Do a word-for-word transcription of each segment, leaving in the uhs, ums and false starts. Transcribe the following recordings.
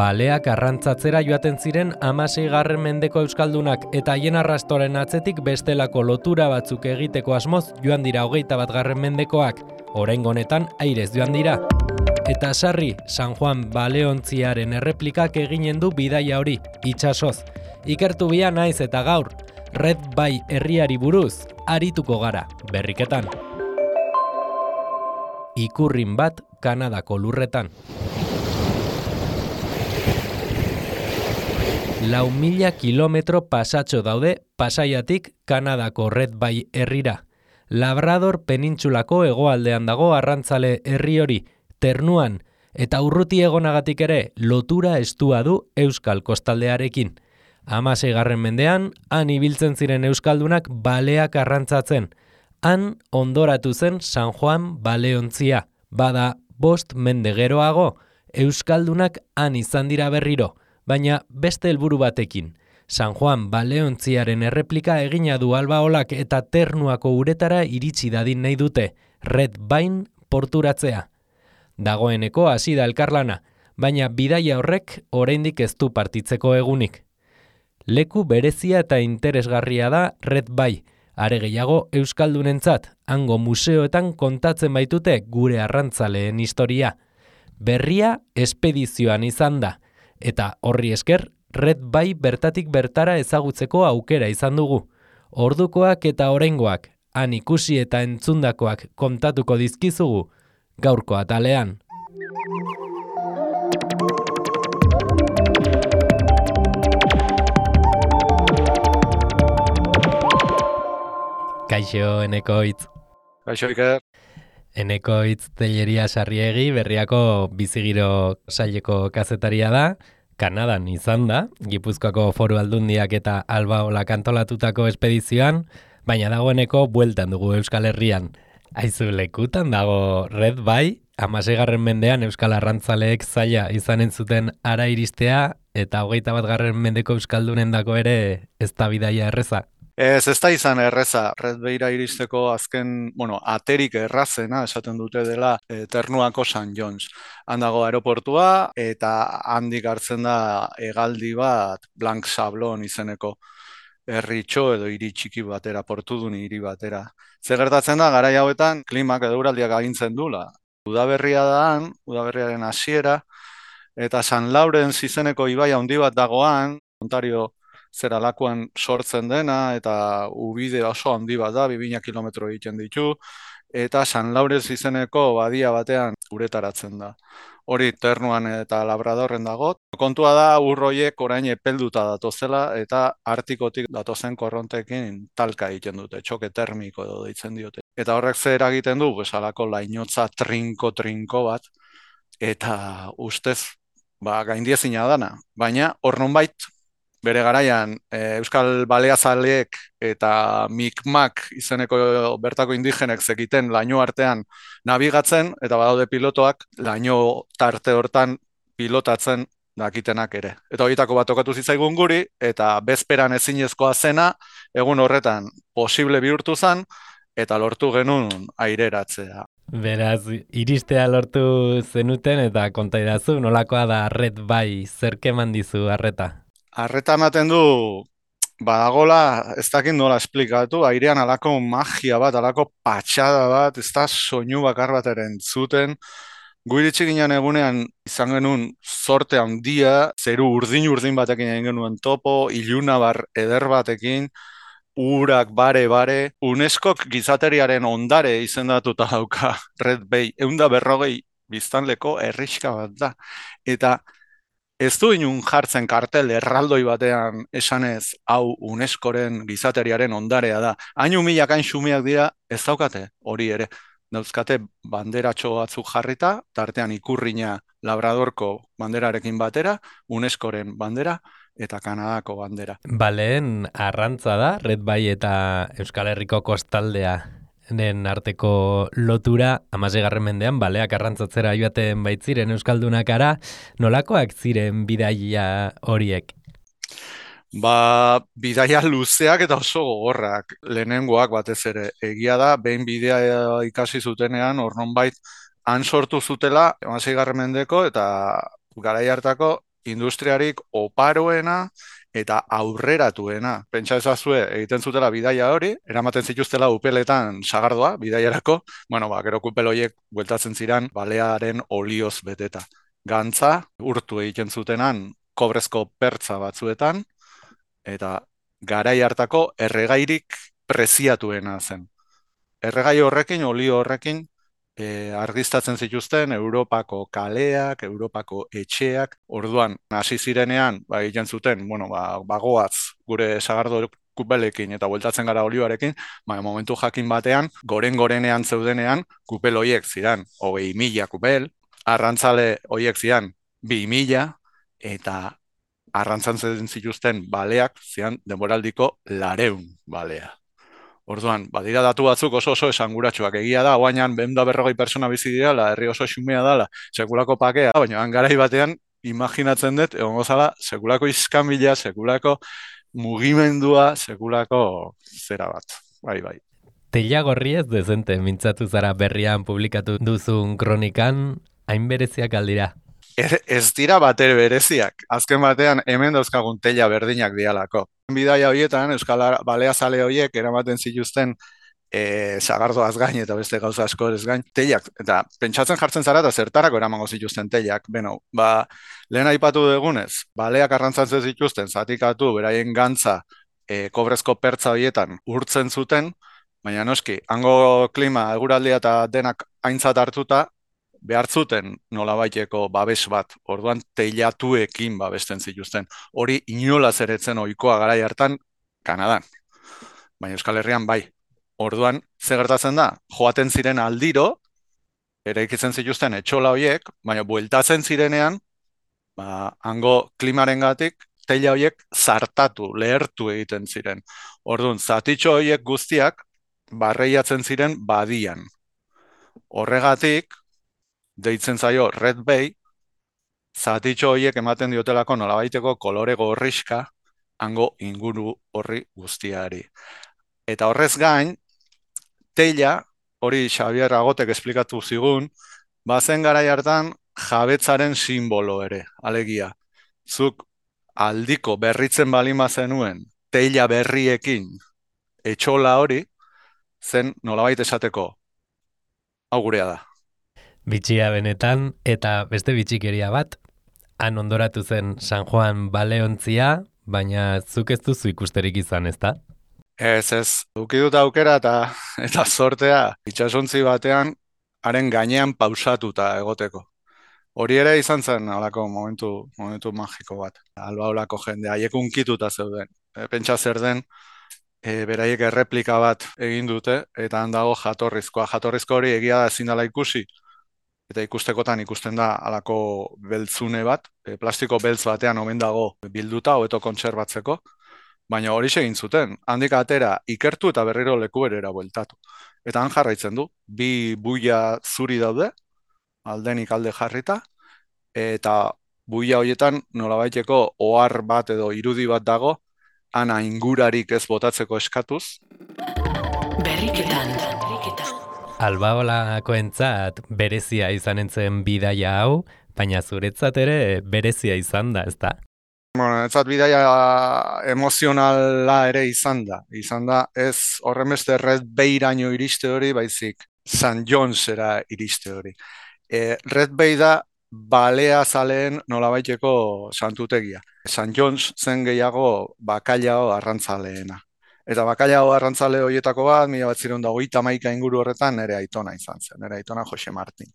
baleak arrantzatzera joaten ziren hamaseigarren mendeko euskaldunak eta haien arrastoren atzetik bestelako lotura batzuk egiteko asmoz joan dira hogeita batgarren mendekoak, oraingo honetan airez joan dira. Eta sarri, San Juan baleontziaren erreplikak eginen du bidaia hori, itsasoz. Ikertu bia naiz eta gaur, Red Bay herriari buruz, arituko gara, berriketan. Ikurrin bat Kanadako lurretan. Lau mila kilometro pasatxo daude Pasaiatik Kanadako Red Bay herrira. Labrador penintsulako hegoaldean dago arrantzale herri hori, Ternuan, eta urruti egonagatik ere lotura estua du Euskal kostaldearekin. Hamaseigarren mendean, han ibiltzen ziren euskaldunak baleak arrantzatzen. Han ondoratu zen San Juan baleontzia. Bada bost mende geroago, euskaldunak han izan dira berriro, baina beste helburu batekin. San Juan baleontziaren erreplika egina du Albaolak eta Ternuako uretara iritsi dadin nahi dute, Red Bayn porturatzea. Dagoeneko hasi da elkarlana, baina bidaia horrek oraindik ez du partitzeko egunik. Leku berezia eta interesgarria da Red Bay, are gehiago euskaldunentzat, hango museoetan kontatzen baitute gure arrantzaleen historia. Berria espedizioan izan da, eta horri esker Red Bay bertatik bertara ezagutzeko aukera izan dugu. Ordukoak eta oraingoak, han ikusi eta entzundakoak kontatuko dizkizugu, gaurko atalean. Kaixo, Eneko Hitz. Kaixo, Iker. Eneko Hitz Telleria Sarriegi, Berriako bizigiro saileko kazetaria da, Kanadan izan da, Gipuzkoako Foru Aldundiak eta Albaolak antolatutako espedizioan, baina dagoeneko bueltan dugu Euskal Herrian. Aizu, lekutan dago Red Bay, hamaseigarren mendean Euskal Arrantzaleek zaila izanen zuten ara iristea, eta hogeita batgarren mendeko euskaldunen dako ere ez da bidaia erreza. Ez, ez da izan erreza, Red Bayra iristeko azken, bueno, aterik errazena esaten dute dela e, Ternuako San Jones. Han dago aeroportua eta handik hartzen da hegaldi bat Blanc Sablon izeneko herritxo edo hiri txiki batera, portudun hiri batera. Zer gertatzen da, garai hauetan klimak edo uraldiak agintzen dula. Udaberria da han, udaberriaren hasiera, eta San Laurens izeneko ibai handi bat dagoan, Ontario zeralakoan sortzen dena, eta ubide oso handi bat da, bi mila kilometro egiten ditu, eta San Laurens izeneko badia batean uretaratzen da. Hori Ternuan eta Labradorren dago. Kontua da urroiek orain epelduta datozela eta Artikotik datozen korrontekin talka egiten dute, txoke termiko edo deitzen diote. Eta horrek zer egiten du, pues halako lainotza trinko-trinko bat, eta ustez ba, gaindiezina dana. Baina hor nonbait bere garaian e, Euskal Baleazaleek eta Mikmak izeneko bertako indigenek zekiten laino artean nabigatzen, eta badaude pilotoak laino tarte hortan pilotatzen dakitenak ere. Eta horietako bat tokatu zitzaigun guri, eta bezperan ezinezkoa zena, egun horretan posible bihurtu zen, eta lortu genuen aireratzea. Beraz, iristea lortu zenuten eta konta idazu, nolakoa da Red Bay, zer keman dizu arreta? Arreta ematen du, badagola, ez dakit nola esplikatu, airean alako magia bat, alako patxada bat, ez da soinu bakar bat ere entzuten. Gu iritsi ginen egunean izan genuen zorte handia, zeru urdin-urdin batekin egin genuen topo, ilunabar eder batekin, urak bare-bare, UNESCOk gizateriaren ondare izendatuta dauka Red Bay, ehun eta berrogei biztanleko herrixka bat da. Eta ez du inun jartzen kartel erraldoi batean esanez hau UNESCOren gizateriaren ondarea da. Hainu milak hain xumeak dira ez daukate hori ere. Dauzkate banderatxo batzuk jarrita, tartean ikurrina Labradorko banderarekin batera, UNESCOren bandera eta Kanadako bandera. Baleen arrantza da, Red Bay eta Euskal Herriko kostaldea den arteko lotura, hamaseigarren mendean baleak arrantzatzera joaten baitziren euskaldunakara, nolakoak ziren bidaia horiek? Ba, bidaia luzeak eta oso gogorrak, lehenengoak batez ere. Egia da, behin bidea ikasi zutenean, hor nonbait han sortu zutela, hamaseigarren mendeko eta garai hartako industriarik oparoena eta aurreratuena. Pentsa ezazue, egiten zutela bidaia hori, eramaten zituztela upeletan sagardoa, bidaiarako, bueno, ba, gero kupel horiek bueltatzen ziren balearen olioz beteta. Gantza, urtu egiten zutenan, kobrezko pertza batzuetan, eta garai hartako erregairik preziatuena zen. Erregai horrekin, olio horrekin, E, argiztatzen zituzten Europako kaleak, Europako etxeak, orduan hasi zirenean, ba, egiten zuten, bueno, ba, bagoaz gure sagardo kupelekin eta bueltatzen gara olioarekin, ba, momentu jakin batean, goren-gorenean zeudenean, kupel hoiek ziren, hogei mila kupel, arrantzale hoiek ziren, bi mila, eta arrantzan zituzten baleak ziren denboraldiko lareun balea. Orduan, badira datu batzuk oso oso esanguratsuak egia da, guainan behun da berrogei persona bizi direla, herri oso xumea dela, sekulako pakea, baina garai batean, imaginatzen dut, egon gozala, sekulako iskanbila, sekulako mugimendua, sekulako zera bat, bai, bai. Teila gorri ez dezente, mintzatu zara berrian publikatu duzun kronikan, hain bereziak aldira. Ez, ez dira batere bereziak. Azken batean hemen dauzkagun teila berdinak dialako. Bidaia horietan, Euskal Baleazale horiek eramaten zituzten e, sagardoaz gain eta beste gauza asko ez gain, teilak, eta pentsatzen jartzen zara eta zertarako eramango zituzten teilak. Beno, ba, lehen aipatu dugunez, baleak arrantzatzen zituzten, zatikatu, beraien gantza, e, kobrezko pertza horietan urtzen zuten, baina noski, hango klima, eguraldia eta denak aintzat hartuta, behar zuten nolabaiteko babes bat, orduan teilatuekin babesten zituzten. Hori inolaz eretzen ohikoa garai hartan Kanadan, baina Euskal Herrian bai. Orduan, ze gertatzen da, joaten ziren aldiro, eraikitzen zituzten etxola horiek, baina bueltatzen zirenean, ba, hango klimarengatik, teila horiek zartatu, lehertu egiten ziren. Orduan, zatitxo horiek guztiak, barreiatzen ziren badian. Horregatik, deitzen zaio Red Bay, zatitxo horiek ematen diotelako nolabaiteko kolore gorriska hango inguru horri guztiari. Eta horrez gain, teila, hori Xabier Agotek esplikatu zigun, bazen garai hartan jabetzaren simbolo ere, alegia. Zuk aldiko berritzen balima zenuen teila berriekin etxola hori, zen nolabait esateko, hau gurea da. Bitxia benetan, eta beste bitxikeria bat, han ondoratu zen San Juan baleontzia, baina zuk ez duzu ikusterik izan, ezta? Ez, ez, duki dut aukera eta, eta sortea, itxasontzi batean, haren gainean pausatuta egoteko. Hori ere izan zen, alako momentu, momentu magiko bat. Alba olako jende, haiek unkituta zeuden. E, pentsa zer den, e, beraiek erreplika bat egin dute, eta handago jatorrizkoa. Jatorrizko hori egia da ezin dela ikusi, eta ikustekotan ikusten da alako beltzune bat, e, plastiko beltz batean omen dago bilduta, hobeto kontserbatzeko, baina hori egin zuten, handik atera ikertu eta berriro leku berera bueltatu. Eta han jarraitzen du, bi buia zuri daude, aldenik alde jarrita, eta buia horietan nolabaiteko ohar bat edo irudi bat dago, ana ingurarik ez botatzeko eskatuz. Berriketan. Albaolakoentzat berezia izan entzen bidaia hau, baina zuretzat ere berezia izan da, ezta? Bueno, etzat bidaia emozionala ere izan da. Izan da ez horren beste Red Bayraino iriste hori, baizik San Jonesera iriste hori. E, Red Bay da baleazaleen nolabaiteko santutegia. San Jones zen gehiago bakailao arrantzaleena. Eta bakailao arrantzale horietako bat, mila bat ziren da hogeita hamaika inguru horretan nere aitona izan zen, nere aitona Jose Martin.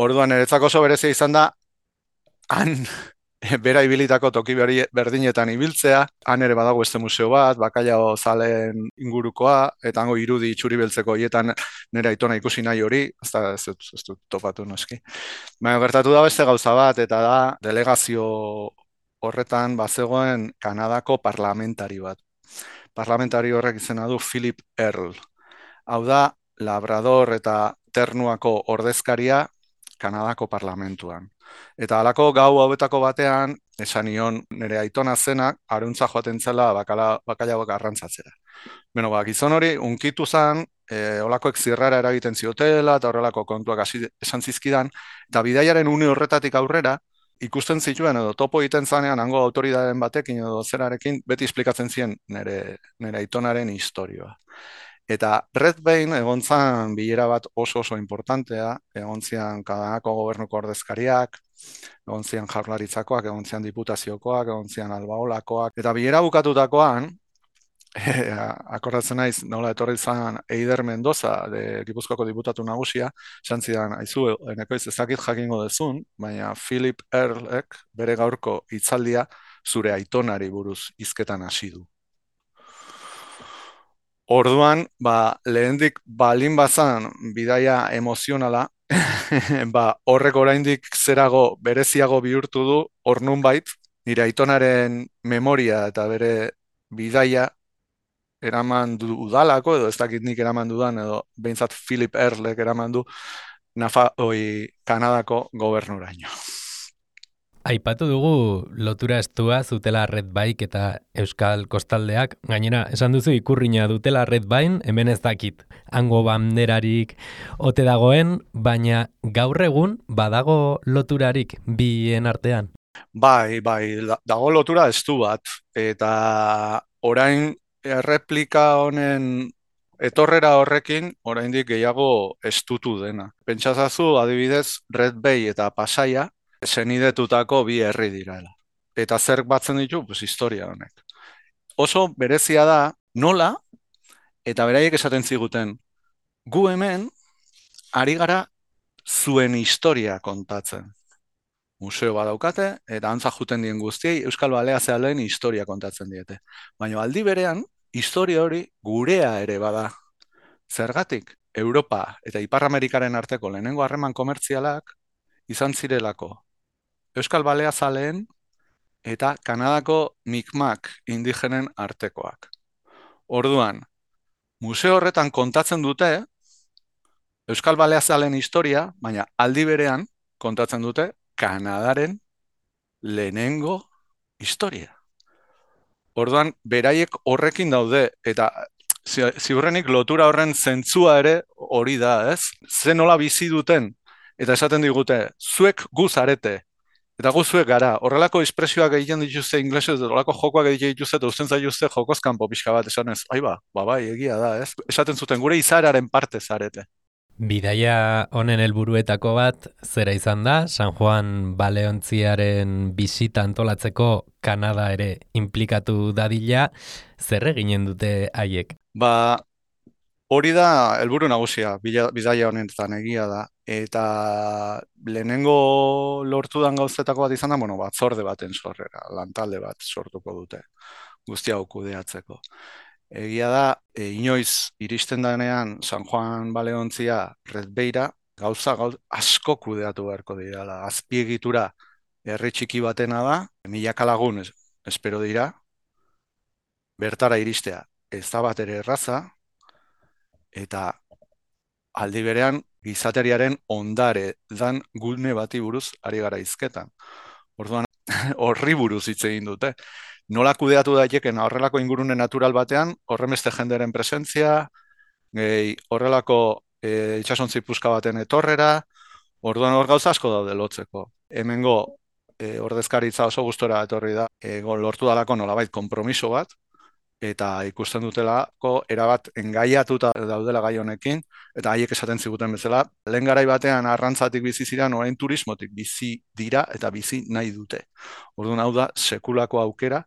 Orduan, niretzako oso berezia izan da, han bera ibilitako toki berdinetan ibiltzea, han ere badago beste museo bat, bakailao zaleen ingurukoa, eta hango irudi txuri beltzeko horietan nire aitona ikusi nahi hori, ez da, ez dut, ez dut topatu noski. Baina gertatu da beste gauza bat, eta da delegazio horretan bazegoen Kanadako parlamentari bat. Parlamentari horrek izena du Philip Earl. Hau da, Labrador eta Ternuako ordezkaria Kanadako parlamentuan. Eta halako gau hauetako batean, esan nion nire aitona zenak, aruntza joaten zela bakailagoak arrantzatzera. Beno, ba, gizon hori, unkitu zen, e, olakoek zirrara eragiten ziotela, eta horrelako kontuak hasi esan zizkidan, eta bidaiaren une horretatik aurrera, ikusten zituen edo topo egiten zanean hango autoridadeen batekin edo zerarekin beti esplikatzen zien nire, nire aitonaren historioa. Eta Red Bane egon zan bilera bat oso oso importantea, egon zian Kanadako gobernuko ordezkariak, egon zian jaurlaritzakoak, egon zian diputaziokoak, egon zian albaolakoak, eta bilera bukatutakoan, akordatzen naiz, nola etorri zan Eider Mendoza, de Gipuzkoako diputatu nagusia, esan zidan, aizu, enekoiz ezakit jakingo dezun, baina Philip Earlek bere gaurko hitzaldia zure aitonari buruz hizketan hasi du. Orduan, ba, lehendik balin bazan bidaia emozionala, ba, horrek oraindik zerago bereziago bihurtu du, hor nunbait, nire aitonaren memoria eta bere bidaia eraman du udalako, edo ez dakit nik eraman dudan, edo behintzat Philip Earlek eraman du Nafa, oi, Kanadako gobernuraino. Aipatu dugu lotura estua zutela Red Bike eta Euskal Kostaldeak, gainera esan duzu ikurrina dutela Red Bine, hemen ez dakit hango banderarik ote dagoen, baina gaur egun badago loturarik bien artean. Bai, bai, dago lotura estu bat, eta orain erreplika honen etorrera horrekin oraindik gehiago estutu dena. Pentsazazu adibidez Red Bay eta Pasaia senidetutako bi herri direla. Eta zer batzen ditu? Pues historia honek. Oso berezia da nola, eta beraiek esaten ziguten, gu hemen ari gara zuen historia kontatzen. Museo badaukate, eta antza juten dien guztiei Euskal Baleazealen historia kontatzen diete. Baina aldi berean, historia hori gurea ere bada. Zergatik, Europa eta Ipar Amerikaren arteko lehenengo harreman komertzialak izan zirelako Euskal Baleazaleen eta Kanadako Mi'kmaq indigenen artekoak. Orduan, museo horretan kontatzen dute Euskal Baleazaleen historia, baina aldi berean kontatzen dute Kanadaren lehenengo historia. Orduan, beraiek horrekin daude, eta ziurrenik lotura horren zentzua ere hori da, ez? Ze nola bizi duten, eta esaten digute, zuek gu zarete, eta gu zuek gara, horrelako espresioak egiten dituzte inglesez, horrelako jokoak egiten dituzte, eta usten zaituzte jokos kanpo pixka bat, esan ez, aiba, ba, bai, egia da, ez? Esaten zuten, gure izararen parte zarete. Bidaia honen helburuetako bat zera izan da, San Juan Baleontziaren bisita antolatzeko Kanada ere implikatu dadila, zer eginen dute haiek? Ba, hori da helburu nagusia, bidaia honetan egia da, eta lehenengo lortudan gauzetako bat izan da, bueno, batzorde baten sorrera, lantalde bat sortuko dute, guztia hau kudeatzeko. Egia da, e, inoiz iristen danean San Juan Baleontzia Red Bayra, gauza gauz, asko kudeatu beharko dira. Azpiegitura herri txiki batena da, milaka lagun es, espero dira, bertara iristea ez da bat ere erraza, eta aldi berean gizateriaren ondare dan gune bati buruz ari gara hizketan. Orduan horri buruz hitz egin dute. Nola kudeatu daiteken horrelako ingurune natural batean, horremeste jenderen presentzia, gehi, horrelako e, itxasontzi puska baten etorrera, orduan hor gauza asko daude lotzeko. Hemengo e, ordezkaritza oso gustora etorri da, e, lortu dalako nolabait konpromiso bat, eta ikusten dutelako erabat engaiatuta daudela gai honekin, eta haiek esaten ziguten bezala, lehen garai batean arrantzatik bizi ziren, orain turismotik bizi dira eta bizi nahi dute. Orduan hau da sekulako aukera,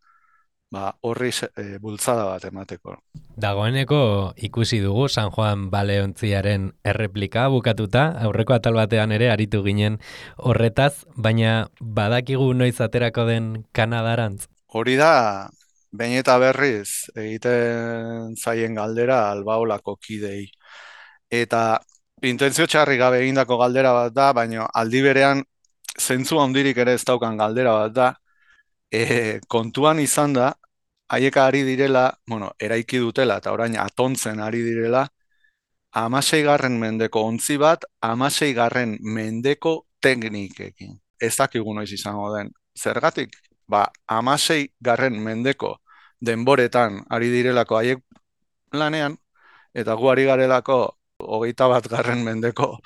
ba, horri e, bultzada bat emateko. Dagoeneko ikusi dugu San Juan Baleontziaren erreplika bukatuta, aurreko atal batean ere aritu ginen horretaz, baina badakigu noiz aterako den Kanadarantz? Hori da, behin eta berriz egiten zaien galdera albaolako kidei. Eta intentzio txarri gabe egindako galdera bat da, baina aldi berean zentzu handirik ere ez daukan galdera bat da, e, kontuan izan da, haiek ari direla, bueno, eraiki dutela eta orain atontzen ari direla, hamaseigarren mendeko ontzi bat, hamaseigarren mendeko teknikekin. Ez dakigu noiz izango den. Zergatik? Ba, hamaseigarren mendeko denboretan ari direlako haiek lanean, eta gu ari garelako hogeita bat garren mendeko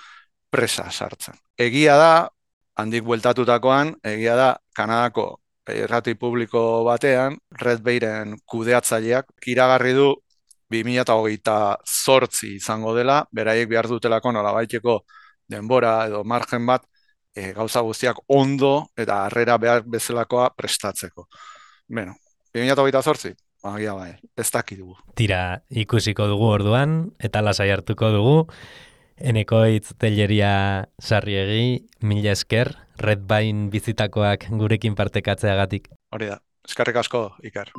presa sartzen. Egia da, handik bueltatutakoan, egia da, Kanadako irrati publiko batean, Red Bayren kudeatzaileak iragarri du bi mila hogeita zortzi izango dela, beraiek behar dutelako nolabaiteko denbora edo margen bat e, gauza guztiak ondo eta harrera behar bezalakoa prestatzeko. Beno, bi mila hogeita zortzi, agia bai, ez dakidugu. Tira, ikusiko dugu orduan, eta lasai hartuko dugu. Enekoitz Telleria Sarriegi, mila esker, Red Bain bizitakoak gurekin partekatzeagatik. Hori da, eskerrik asko, Iker.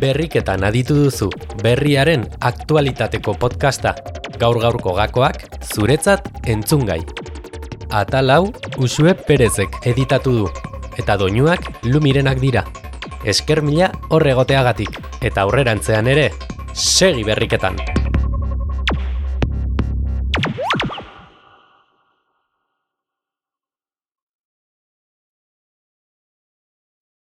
Berriketan aditu duzu, berriaren aktualitateko podcasta. Gaur-gaurko gakoak zuretzat entzungai. Atal hau Uxue Perezek editatu du, eta doinuak Lumirenak dira. Esker mila hor egoteagatik, eta aurrerantzean ere, segi berriketan!